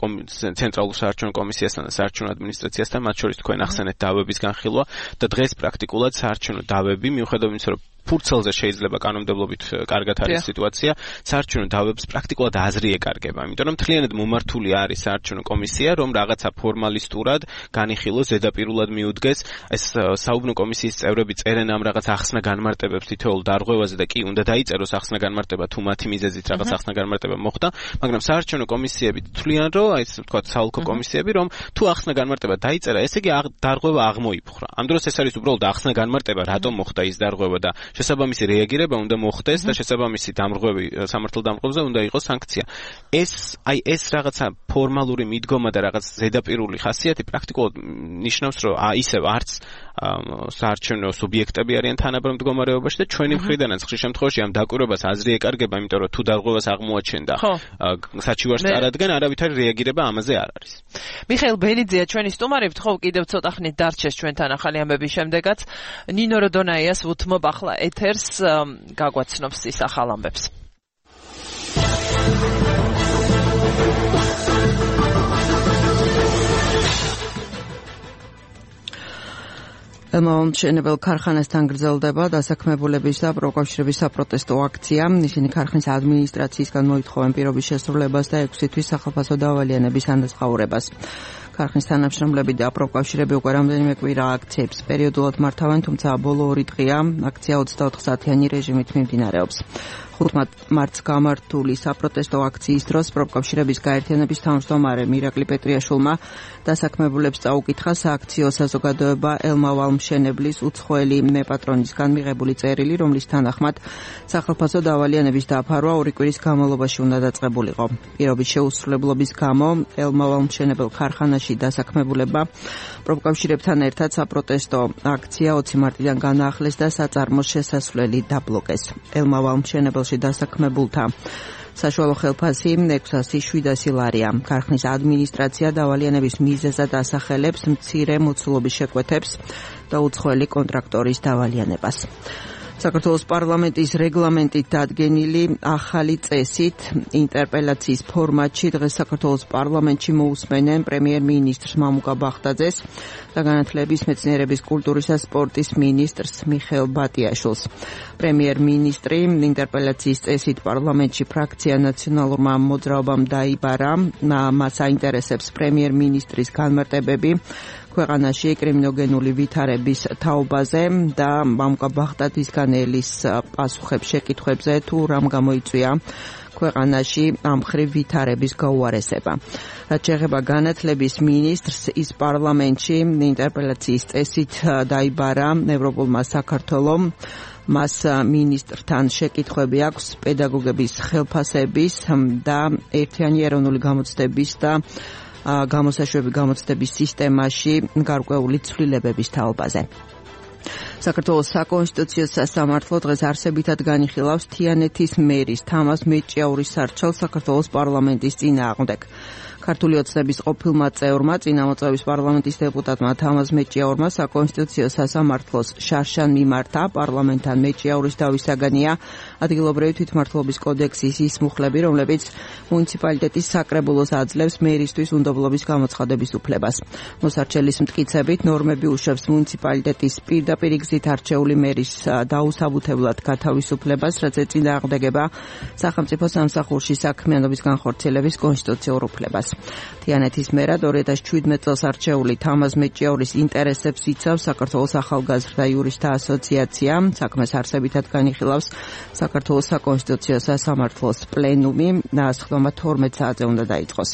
ცენტრალურ საარჩევნო კომისიასთან და საარჩევნო ადმინისტრაციასთან, მათ შორის თქვენ ახსენეთ დავების განხილვა და დღეს პრაქტიკულად საარჩევნო დავები, მიუხედავად იმისა, რომ ფურცელზე შეიძლება კანონმდებლობით კარგად არის სიტუაცია, საარჩევნო დავებს პრაქტიკულად აზრი ეკარგება, იმიტომ რომ მთლიანად მომართული არის საარჩევნო კომისია, რომ რაღაცა ფორმალისტურად განიხილოს, ზედაპირულად მიუდგეს. ეს საუბნო კომისიის წევრები წერენ ამ რაღაც ახსნა განმარტებებს თითოეულ დარღვევაზე და კი უნდა დაიწეროს ახსნა განმარტება, თუ მათი მიზეზით რაღაც ახსნა განმარტება მოხდა, მაგრამ საარჩევნო კომისიები თვლიან, რომ აი ეს თქვა საოლქო კომისიები, რომ თუ ახსნა განმარტება დაიწერა, ესე იგი დარღვევა აღმოიფხვრა. ამ დროს ეს არის უბრალოდ ახსნა განმარტება, რატომ მოხდა ის დარღვევა და შესაბამისი რეაგირება უნდა მოხდეს და შესაბამისი დამრღვევი სამართალ დამრღვევზე უნდა იყოს სანქცია. ეს აი ეს რაღაცა ფორმალური მიდგომა და რაღაც ზედაპირული ხასიათი პრაქტიკულად ნიშნავს, რომ ისევ არც საარჩევნო სუბიექტები არიან თანაბრად მდგომარეობაში და ჩვენი მხრიდანაც ხშირ შემთხვევაში ამ დაკვირვებას აზრი ეკარგება, იმიტომ რომ თუ დარღვევას აღმოაჩენდა საჩივარს წარადგენ, არავითარი რეაგირება ამაზე არ არის. მიხეილ ბენიძეა ჩვენი სტუმარი, ვთხოვ კიდევ ცოტა ხნით დარჩეს ჩვენთან ახალი ამბების შემდეგაც. ნინო როდონაიას ვუთმობ ახლა ეთერს, გაგვაცნობს ის ახალ ამბებს. ელმომშენებელ ქარხანასთან გრძელდება დასაქმებულების და პროკავშირების საპროტესტო აქცია. ისინი ქარხნის ადმინისტრაციისგან მოითხოვენ პირობის შესრულებას და ექვსი თვის სახალხო დავალიანების ანაზღაურებას. ქარხნის თანამშრომლები და პროფკავშირები უკვე რამდენიმე კვირა აქციებს პერიოდულად მართავენ, თუმცა ბოლო ორი დღეა აქცია ოცდაოთხ საათიანი რეჟიმით მიმდინარეობს. ხუთ მარტს გამართული საპროტესტო აქციის დროს პროფკავშირების გაერთიანების თავმჯდომარე მირაკლი პეტრიაშვილმა დასაქმებულებს წაუკითხა სააქციო საზოგადოება ელმავალ-მშენებლის უცხოელი მეპატრონისგან მიღებული წერილი, რომლის თანახმად სახელმწიფო დავალიანების დაფარვა ორი კვირის განმავლობაში უნდა დაწყებულიყო. პირობის შეუსრულებლობის გამო ელმავალ-მშენებელ ქარხანაში დასაქმებულებმა პროფკავშირებთან ერთად საპროტესტო აქცია ოცი მარტიდან განაახლეს და საწარმოს შესასვლელი დაბლოკეს. ელმავალ-მშენებელში დასაქმებულთა საშუალო ხელფასი ექვსასი შვიდასი ლარია. ქარხნის ადმინისტრაცია დავალიანების მიზეზად ასახელებს მცირე მოცულობის შეკვეთებს და უცხოელი კონტრაქტორის დავალიანებას. საქართველოს პარლამენტის რეგლამენტით დადგენილი ახალი წესით ინტერპელაციის ფორმატში დღეს საქართველოს პარლამენტში მოусმენენ პრემიერ-მინისტრს მამუკა ბახტაძეს და განათლების, მეცნიერების, კულტურის და სპორტის მინისტრს მიხეილ ბატიაშვილს. პრემიერ-მინისტრი ინტერპელაციის წესით პარლამენტში ფრაქცია ნაციონალურმა მოძრაობამ დაიბარა, მას აინტერესებს პრემიერ-მინისტრის განმარტებები ქვეყანაში კრიმინოგენული ვითარების თაობაზე და მამუკა ბახტაძისგან ელის პასუხებს შეკითხვებზე თუ რამ გამოიწვია ქვეყანაში ამ მხრივ ვითარების გაუარესება. რაც შეეხება განათლების მინისტრს, ის პარლამენტში ინტერპელაციის წესით დაიბარა ევროპულმა საქართველომ. მას მინისტრთან შეკითხვები აქვს პედაგოგების ხელფასების და ერთიანი ეროვნული გამოცდების და გამოსაშვები გამოცდების სისტემაში გარკვეული ცვლილებების თაობაზე. საქართველოს საკონსტიტუციო სასამართლო დღეს არსებითად განიხილავს თიანეთის მერის თამაზ მეჭიაურის სარჩელს საქართველოს პარლამენტის წინააღმდეგ. ქართული ოცნების ყოფილმა წევრმა წინამოწვევის პარლამენტის დეპუტატმა თამაზ მეჭიაურმა საკონსტიტუციო სასამართლოს შარშან მიმართა. პარლამენტთან მეჭიაურის დავისაგანია ადგილობრივი თვითმმართველობის კოდექსის ის მუხლები, რომლებიც მუნიციპალიტეტის საკრებულოს აძლევს მერისთვის უნდობლობის გამოცხადების უფლებას. მოსარჩელის მტკიცებით ნორმები უშვებს მუნიციპალიტეტის პირდაპირ გზით არჩეული მერის დაუსაბუთებლად გათავისუფლებას, რაც ეწინააღმდეგება სახელმწიფო სამსახურში საქმიანობის განხორციელების კონსტიტუციურ უფლებას. თიანეთის მერად ორი ათას შვიდმეტ წელს არჩეული თამაზ მეჭიაურის ინტერესებს იცავს საქართველოს ახალგაზრდა იურისტთა ასოციაცია. საქმეს არსებითად განიხილავს საქართველოს საკონსტიტუციო სასამართლოს პლენუმი. სხდომა თორმეტ საათზე უნდა დაიწყოს.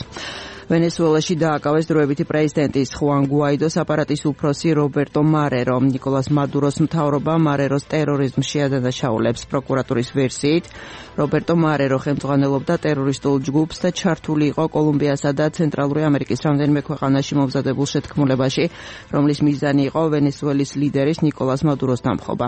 ვენესუელაში დააკავეს დროებითი პრეზიდენტის ხუან გუაიდოს აპარატის უფროსი რობერტო მარერო. ნიკოლას მადუროს მთავრობა მარეროს ტერორიზმს შეადანაშაულებს. პროკურატურის ვერსიით რობერტო მარერო ხელმძღვანელობდა ტერორისტულ ჯგუფს და ჩართული იყო კოლუმბიასა და ცენტრალური ამერიკის რამდენიმე ქვეყანაში მომზადებულ შეთქმულებაში, რომლის მიზანი იყო ვენესუელის ლიდერის ნიკოლას მადუროს დამხობა.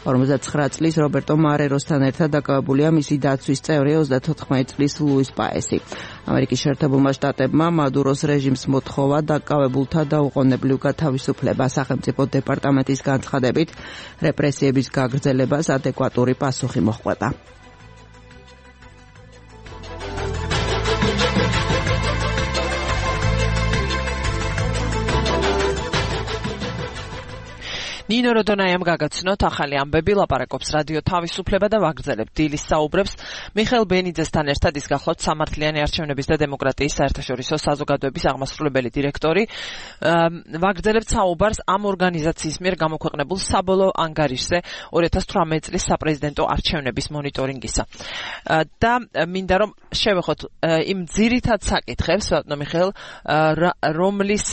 ორმოცდაცხრა წლის რობერტო მარეროსთან ერთად დაკავებულია მისი დაცვის წევრი ოცდათოთხმეტ წლის ლუის პაესი. ამერიკის შეერთებულმა შტატებმა მადუროს რეჟიმს მოთხოვა დაკავებულთა დაუყოვნებლივ გათავისუფლება. სახელმწიფო დეპარტამენტის განცხადებით რეპრესიების გაგრძელებას ადეკვატური პასუხი მოჰყვება. ნინო როდონაიამ გაგაცნოთ ახალი ამბები, ლაპარაკობს რადიო თავისუფლება და ვაგრძელებ დილის საუბრებს. მიხეილ ბენიძესთან ერთად ის გახლავთ სამართლიანი არჩევნების და დემოკრატიის საერთაშორისო საზოგადოების აღმასრულებელი დირექტორი. ვაგრძელებთ საუბარს ამ ორგანიზაციის მიერ გამოქვეყნებულ საბოლოო ანგარიშზე ორი ათას თვრამეტ წლის საპრეზიდენტო არჩევნების მონიტორინგისა. და მინდა რომ შევეხოთ იმ ძირითად საკითხებს, ბატონო მიხეილ, რომლის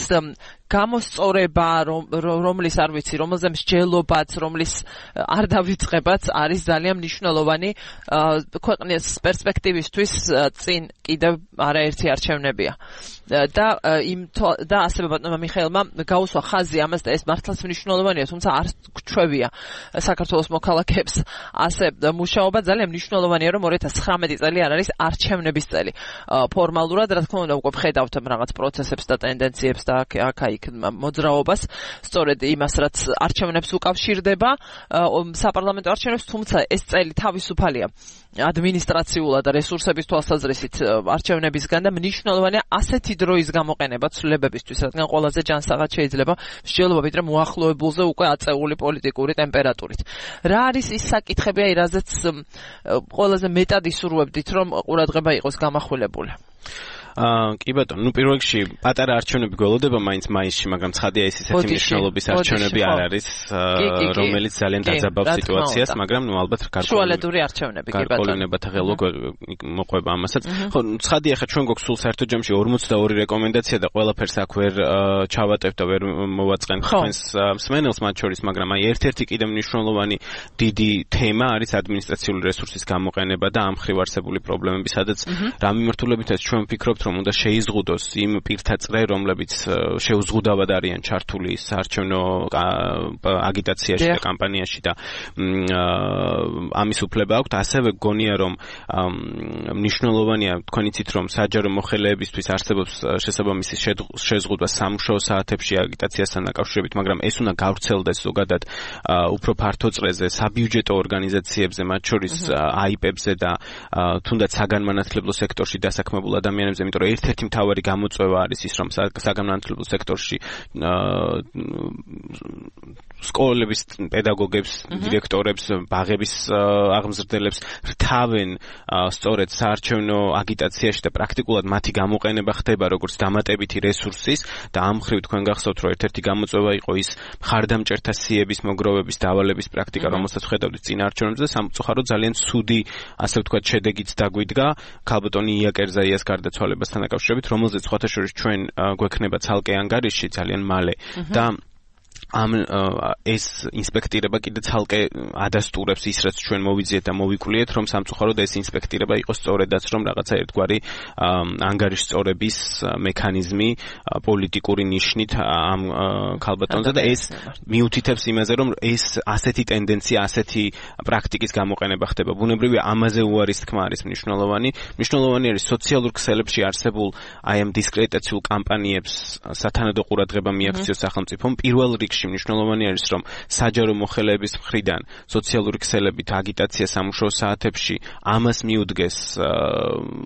გამოსწორება, რომლის არ ვიცი, რომელზე მსჯელობაც, რომლის არ დავიწყებაც არის ძალიან მნიშვნელოვანი ქვეყნის პერსპექტივისთვის წინ კიდევ არაერთი არჩევნებია. და იმ და ასევე ბატონმა მიხეილმა გაუსვა ხაზი ამას და ეს მართლაც მნიშვნელოვანია, თუმცა არ გვჩვევია საქართველოს მოქალაქეებს ასე მუშაობა. ძალიან მნიშვნელოვანია, რომ ორი ათას ცხრამეტი წელი არ არის არჩევნების წელი. ფორმალურად, რა თქმა უნდა, უკვე ვხედავთ რაღაც პროცესებს და ტენდენციებს და აქ-აქ მოძრაობას, სწორედ იმას, რაც არჩევნებს უკავშირდება, საპარლამენტო არჩევნებს, თუმცა ეს წელი თავისუფალია ადმინისტრაციულად და რესურსების თვალსაზრისით არჩევნებისგან და მნიშვნელოვანია ასეთი დროის გამოყენება ცვლილებებისთვის, რადგან ყველაზე ჯანსაღად შეიძლება მსჯელობა ვიდრე მოახლოებულზე უკვე აწეული პოლიტიკური ტემპერატურით. რა არის ის საკითხები, აი რაზეც ყველაზე მეტად ისურვებდით, რომ ყურადღება იყოს გამახვილებული? აა კი ბატონო, ნუ პირველ რიგში პატარა არჩევნები გველოდება მაინც მაისში, მაგრამ ცხადია ის ისეთი მნიშვნელობის არჩევნები არ არის, რომელიც ძალიან დაძაბავს სიტუაციას, მაგრამ ნუ ალბათ გარკვეული არჩევნები კი ბატონო. გარკვეულებათა ღელვა მოყვება ამასაც. ხო, ცხადია ხა ჩვენ გვაქვს სულ საერთო ჯამში ორმოცდაორი რეკომენდაცია და ყველაფერს აქ ვერ ჩავატევ და ვერ მოვაწყენ თქვენს მსმენელს მათ შორის, მაგრამ აი ერთ-ერთი კიდევ მნიშვნელოვანი დიდი თემა არის ადმინისტრაციული რესურსის გამოყენება და ამ მხრივ არსებული პრობლემები, სადაც რა მიმართულებითაც ჩვენ ვფიქრობთ, რომ უნდა შეიზღუდოს იმ პირთა წრე, რომლებიც შეუზღუდავად არიან ჩართული საარჩევნო აგიტაციაში და კამპანიაში და ამის უფლება აქვთ. ასევე გონია, რომ მნიშვნელოვანია, თქვენ იცით, რომ საჯარო მოხელეებისთვის არსებობს შესაბამისი შეზღუდვა სამუშაო საათებში აგიტაციასთან დაკავშირებით, მაგრამ ეს უნდა გავრცელდეს ზოგადად უფრო ფართო წრეზე, საბიუჯეტო ორგანიზაციებზე, მათ შორის აიპებზე და თუნდაც საგანმანათლებლო სექტორში დასაქმებულ ადამიანებზე, იმიტომ რომ ერთ-ერთი მთავარი გამოწვევა არის ის, რომ საგანმანათლებლო სექტორში სკოლების პედაგოგებს, დირექტორებს, ბაღების აღმზრდელებს რთავენ სწორედ საარჩევნო აგიტაციაში და პრაქტიკულად მათი გამოყენება ხდება როგორც დამატებითი რესურსის და ამ მხრივ თქვენ გახსოვთ, რომ ერთ-ერთი გამოწვევა იყო ის მხარდამჭერთა სიების მოგროვების დავალების პრაქტიკა, რომელსაც ხედავდით წინა არჩევნებზე, სამწუხაროდ ძალიან ცუდი, ასე ვთქვათ, შედეგიც დაგვიდგა ქალბატონი ია კერზაიას გარდაცვალებასთან დაკავშირებით, რომელზეც სხვათა შორის ჩვენ გვექნება ცალკე ანგარიში ძალიან მალე და ამ ეს ინსპექტირება კიდე ცალკე ადასტურებს ის, რაც ჩვენ მოვიძიეთ და მოვიკვლიეთ, რომ სამწუხაროდ ეს ინსპექტირება იყოს სწორედაც, რომ რაღაცა ერთგვარი ანგარიშწორების მექანიზმი პოლიტიკური ნიშნით ამ ქალბატონზე და ეს მიუთითებს იმაზე, რომ ეს ასეთი ტენდენცია, ასეთი პრაქტიკის გამოყენება ხდება. ბუნებრივია, ამაზე უარის თქმა არის მნიშვნელოვანი. მნიშვნელოვანი არის სოციალურ ქსელებში არსებულ აი ამ დისკრედიტაციულ კამპანიებს სათანადო ყურადღება მიაქციოს სახელმწიფომ. პირველ რიგში მნიშვნელოვანი არის, რომ საჯარო მოხელეების მხრიდან სოციალური ქსელებით აგიტაცია სამუშაო საათებში ამას მიუდგეს,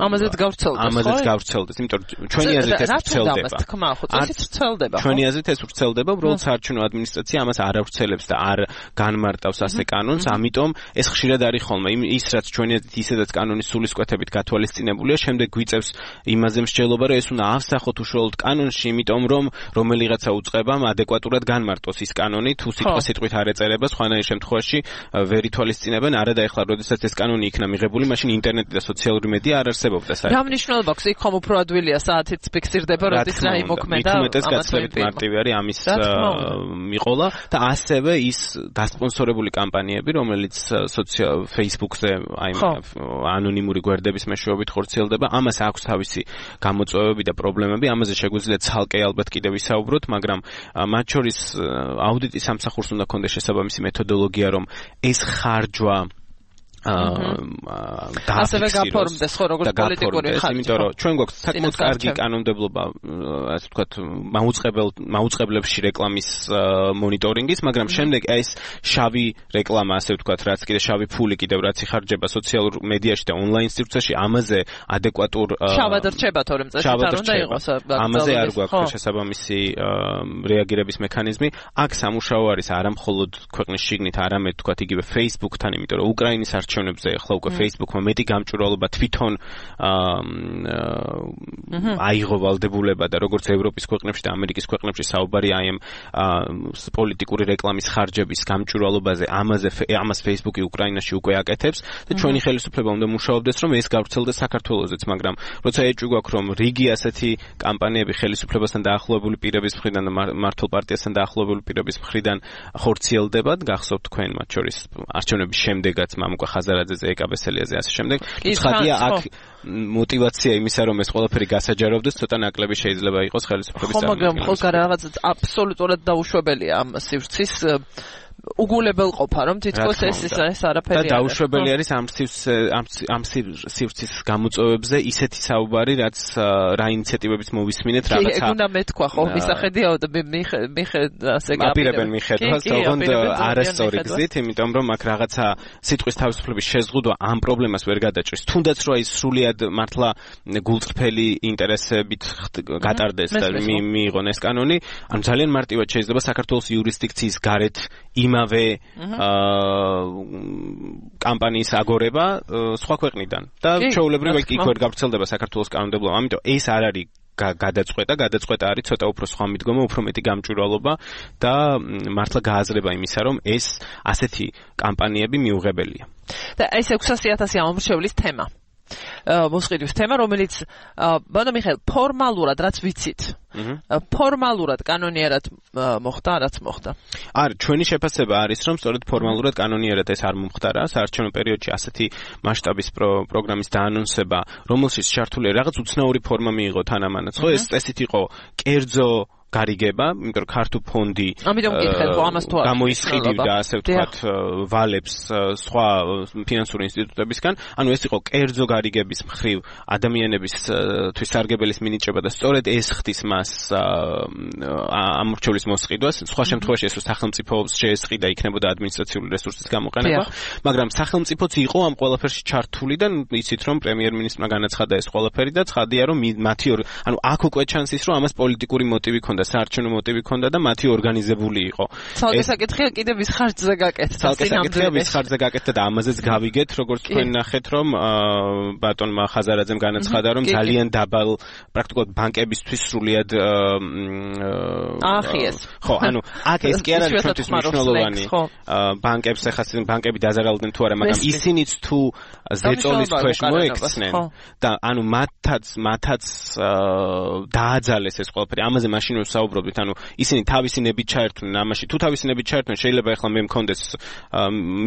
ამაზეც გავრცელდეს, ხო? ამაზეც გავრცელდეს, იმიტომ რომ ჩვენი აზრით ეს ვრცელდება. თქმა, ხო, წესით ვრცელდება. ჩვენი აზრით ეს ვრცელდება, უბრალოდ საარჩევნო ადმინისტრაცია ამას არ ავრცელებს და არ განმარტავს ასე კანონს, ამიტომ ეს ხშირად არის ხოლმე. ის რაც ჩვენი აზრით ისედაც კანონის სულისკვეთებით გათვალისწინებულია, შემდეგ გვიწევს იმაზე მსჯელობა, რომ ეს უნდა ავსახოთ უშუალოდ კანონში, იმიტომ რომ რომელიღაცა უწყებამ ადეკვატურად განმარტოს ის კანონი, თუ სიტყვა-სიტყვით არ ეწერება, სხვანაირ შემთხვევაში ვერ ითვალისწინებენ. არა და ეხლა, როდესაც ეს კანონი იქნა მიღებული, მაშინ ინტერნეტი და სოციალური მედია არ არსებობდა საერთოდ. რა მნიშვნელობა აქვს? იქ ხომ უფრო ადვილია საათით ფიქსირდება, როდის რა იმოქმედა. მithumetes გაცილებით მარტივი არის ამის მიყოლა და ასევე ის დასპონსორებული კამპანიები, რომელიც Facebook-ზე აი ანონიმური გვერდების მეშვეობით ხორციელდება, ამას აქვს თავისი გამოწვევები და პრობლემები, ამაზე შეგვიძლია ცალკე ალბათ კიდევ ვისაუბროთ, მაგრამ მათ შორის აუდიტის სამსახურს უნდა ქონდეს შესაბამისი მეთოდოლოგია, რომ ეს ხარჯვა ასევე გაფორმდეს, ხო, როგორც პოლიტიკური ხარჯვა. იმიტომ რომ ჩვენ გვაქვს საკმაოდ კარგი კანონმდებლობა, ასე ვთქვათ, მაუწყებელ მაუწყებლებში რეკლამის მონიტორინგის, მაგრამ შემდეგ ეს შავი რეკლამა, ასე ვთქვათ, რაც კიდე შავი ფული კიდევ რაც იხარჯება სოციალურ მედიაში და ონლაინ სივრცეში, ამაზე ადეკვატურ შავად რჩება, თორემ წესით არ უნდა იყოს. ამაზე არ გვაქვს შესაბამისი რეაგირების მექანიზმი. აქ სამუშაო არის არა მხოლოდ ქვეყნის შიგნით, არამედ ვთქვათ, იგივე Facebook-თან, იმიტომ რომ უკრაინის არჩევნებზე ახლა უკვე Facebook-მა მეტი გამჭვირვალობა თვითონ აიღო ვალდებულება და როგორც ევროპის ქვეყნებში და ამერიკის ქვეყნებში საუბარი აი ამ პოლიტიკური რეკლამის ხარჯების გამჭვირვალობაზე, ამაზე ამას Facebook-ი უკრაინაში უკვე აკეთებს და ჩვენი ხელისუფლება უნდა მუშაობდეს, რომ ეს გავრცელდეს საქართველოსაც, მაგრამ როცა ეჭვი გვაქვს, რომ რიგი ასეთი კამპანიები ხელისუფლებასთან დაახლოებული პირების მხრიდან და მართლ პარტიასთან დაახლოებული პირების მხრიდან ხორციელდებათ, გახსოვთ თქვენ მათ შორის არჩევნების შემდეგაც მამუკა ხაზარაძეზე, ეკაბესელიაზე ასე შემდეგ. ცხადია აქ мотивация იმისა, რომ ეს ყველაფერი გასაჯაროვდეს, ცოტა ნაკლები შეიძლება იყოს ხელისუფლების წარმომადგენლებს. ხო, მაგრამ ხო რაღაც აბსოლუტურად დაუშვებელია ამ სივრცის უგულებელ ყოფა, რომ თითქოს ეს ეს არაფერი არის. და დაუშვებელი არის ამ ამ სივრცის გამოწვევებზე ისეთი საუბარი, რაც რა ინიციატივებით მოვისმინეთ რაღაცა. კი, უნდა მეთქვა, ხო, მისახედია და მიხედ ასე გაპირებენ მიხედვას, თუმცა არასწორი გზით, იმიტომ რომ აქ რაღაცა სიტყვის თავისუფლების შეზღუდვა ამ პრობლემას ვერ გადაჭრის. თუნდაც რომ ის სრულიად მართლა გულწრფელი ინტერესებით გატარდეს და მიიღონ ეს კანონი, ან ძალიან მარტივად შეიძლება საქართველოს იურისდიქციის გარეთ იმ იმავე კამპანიის აგორება სხვა ქვეყნიდან და ჩვეულებრივ იქ ვერ გავრცელდება საქართველოს კანონმდებლობა. ამიტომ ეს არ არის გადაწყვეტა, გადაწყვეტა არის ცოტა უფრო სხვა მიდგომა, უფრო მეტი გამჭვირვალობა და მართლა გააზრება იმისა, რომ ეს ასეთი კამპანიები მიუღებელია. და ეს ექვსასი ათასი ამომრჩევლის თემა. მოსყიდვის თემა, რომელიც ბატონო მიხეილ, ფორმალურად რაც ვიცით, ფორმალურად კანონიერად მოხდა, რაც მოხდა. არა, ჩვენი შეფასება არის, რომ სწორედ ფორმალურად კანონიერად ეს არ მომხდარა, საარჩევნო პერიოდში ასეთი მასშტაბის პროგრამის დაანონსება, რომელშიც ჩართული რაღაც უცნაური ფორმა მიიღო თანამანაც, ხო, ეს წესით იყო კერძო გარიგება, იმიტომ რომ ქართულ ფონდი გამოისყიდივდა, ასე ვთქვათ, ვალებს სხვა ფინანსური ინსტიტუტებისგან, ანუ ეს იყო კერძო გარიგების მხრივ ადამიანებისთვის სარგებელის მინიჭება და სწორედ ეს ხდის მას ამორჩევლის მოსყიდვას, სხვა შემთხვევაში ეს სახელმწიფოს შეესყიდა, იქნებოდა ადმინისტრაციული რესურსის გამოყენება, მაგრამ სახელმწიფოც იყო ამ ყველაფერში ჩართული და იცით რომ პრემიერ-მინისტრმა განაცხადა ეს ყველაფერი და ცხადია რომ მათი ანუ აქ უკვე ჩანს ის რომ ამას პოლიტიკური მოტივი და საარჩევნო მოტივი ჰქონდა და მათი ორგანიზებული იყო. ცალკე საკითხია კიდე ვის ხარჯზე გაკეთდა. ცალკე საკითხია ვის ხარჯზე გაკეთდა და ამაზეც გავიგეთ, როგორც თქვენ ნახეთ, რომ ბატონმა ხაზარაძემ განაცხადა, რომ ძალიან დაბალ პრაქტიკულად ბანკებისთვის სრულიად აახიეს. ხო, ანუ აქ ეს კი არ არის ჩვენთვის მნიშვნელოვანი. ბანკებს ახაც ბანკები დაზარალდნენ თუ არა, მაგრამ ისინიც თუ ზეწოლის ქვეშ მოექცნენ და ანუ მათაც მათაც დააძალეს ეს ყველაფერი. ამაზე მაშინ საუბრობთ, ანუ ისინი თავისი ნებით ჩაერთვნენ ამაში. თუ თავისი ნებით ჩაერთვნენ, შეიძლება ახლა მე მქონდეს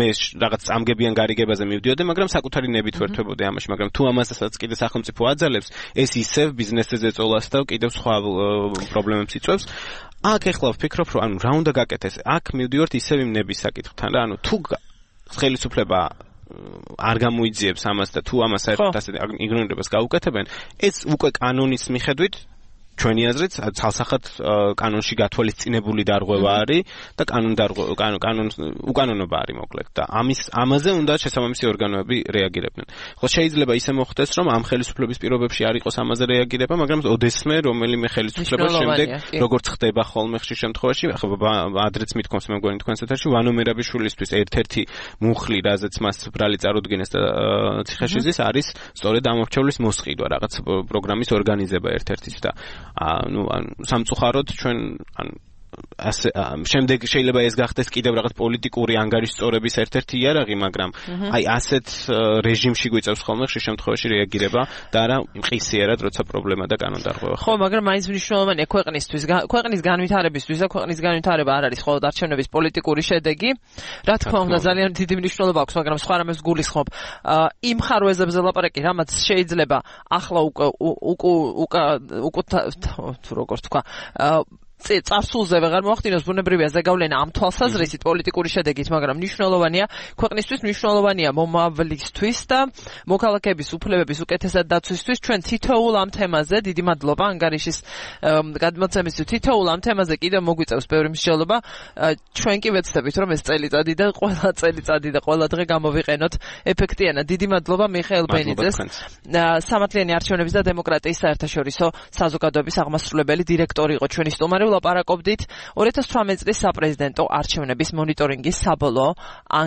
მე რაღაც წამგებიან გარიგებაზე მივდიოდე, მაგრამ საკუთარი ნებით ვერთვებოდი ამაში, მაგრამ თუ ამასაც კიდე სახელმწიფო აძალებს, ეს ისევ ბიზნესზე ზეწოლას და კიდევ სხვა პრობლემებს იწვევს. აქ ახლა ვფიქრობ, რომ ანუ რა უნდა გაკეთდეს? აქ მივდივართ ისევ იმ ნების საკითხთან რა, ანუ თუ ხელისუფლება არ გამოიძიებს ამას და თუ ამას საერთოდ ასე იგნორირებას გაუკეთებენ, ეს უკვე კანონის მიხედვით ჩვენი აზრით ცალსახად კანონში გათვალისწინებული დარღვევა არის და კანონ დარღვევა კანონ უკანონობა არის მოკლედ და ამის ამაზე უნდა შესაბამისი ორგანოები რეაგირებდნენ. ხო შეიძლება ისე მოხდეს რომ ამ ხელისუფლების პირობებში არ იყოს ამაზე რეაგირება, მაგრამ ოდესმე რომელიმე ხელისუფლება შემდეგ როგორც ხდება ხოლმე ხშირ შემთხვევაში, ახლა ადრეც მithkoms მე მგონი თქვენს ეთერში ვანო მერაბიშვილისთვის ერთ-ერთი მუხლი, რაზეც მას ბრალი წარუდგინეს და ციხეშიზის არის სწორედ ამორჩევლის მოსყიდვა, რაღაც პროგრამის ორგანიზება ერთ-ერთის და ანუ სამწუხაროდ ჩვენ ანუ ასე შემდეგ შეიძლება ეს გახდეს კიდევ რაღაც პოლიტიკური ანგარიშწორების ერთ-ერთი იარაღი, მაგრამ აი ასეთ რეჟიმში გვიწევს ხოლმე ხშირ შემთხვევაში რეაგირება და არა მყისიერად, როცა პრობლემა და კანონდარღვევა. ხო, მაგრამ მაინც მნიშვნელოვანია ქვეყნისთვის, ქვეყნის განვითარებისთვის და ქვეყნის განვითარება არ არის მხოლოდ არჩევნების პოლიტიკური შედეგი. რა თქმა უნდა, ძალიან დიდი მნიშვნელობა აქვს, მაგრამ სხვა რამეს გულისხმობ. იმ ხარვეზებზე ლაპარაკი, რამაც შეიძლება ახლა უკვე უკვე უკვე თუ როგორ თქვა წარსულზე ვეღარ მოახდინოს, ბუნებრივია ზეგავლენა ამ თვალსაზრისით პოლიტიკური შედეგით, მაგრამ მნიშვნელოვანია ქვეყნისთვის, მნიშვნელოვანია მომავლისთვის და მოქალაქეების უფლებების უკეთესად დაცვისთვის. ჩვენ თითოეულ ამ თემაზე, დიდი მადლობა ანგარიშის გადმოცემისთვის, თითოეულ ამ თემაზე კიდევ მოგვიწევს ბევრი მსჯელობა. ჩვენ კი ვეცდებით, რომ ეს წელიწადი და ყველა წელიწადი და ყველა დღე გამოვიყენოთ ეფექტიანად. დიდი მადლობა მიხეილ ბენიძეს, სამართლიანი არჩევნების და დემოკრატიის საერთაშორისო საზოგადოების აღმასრულებელი დირექტორი იყო ჩვენი სტუმარი. ლაპარაკობდით ორი ათას თვრამეტი წლის საპრეზიდენტო არჩევნების მონიტორინგის საბოლოო ანგარიშზე.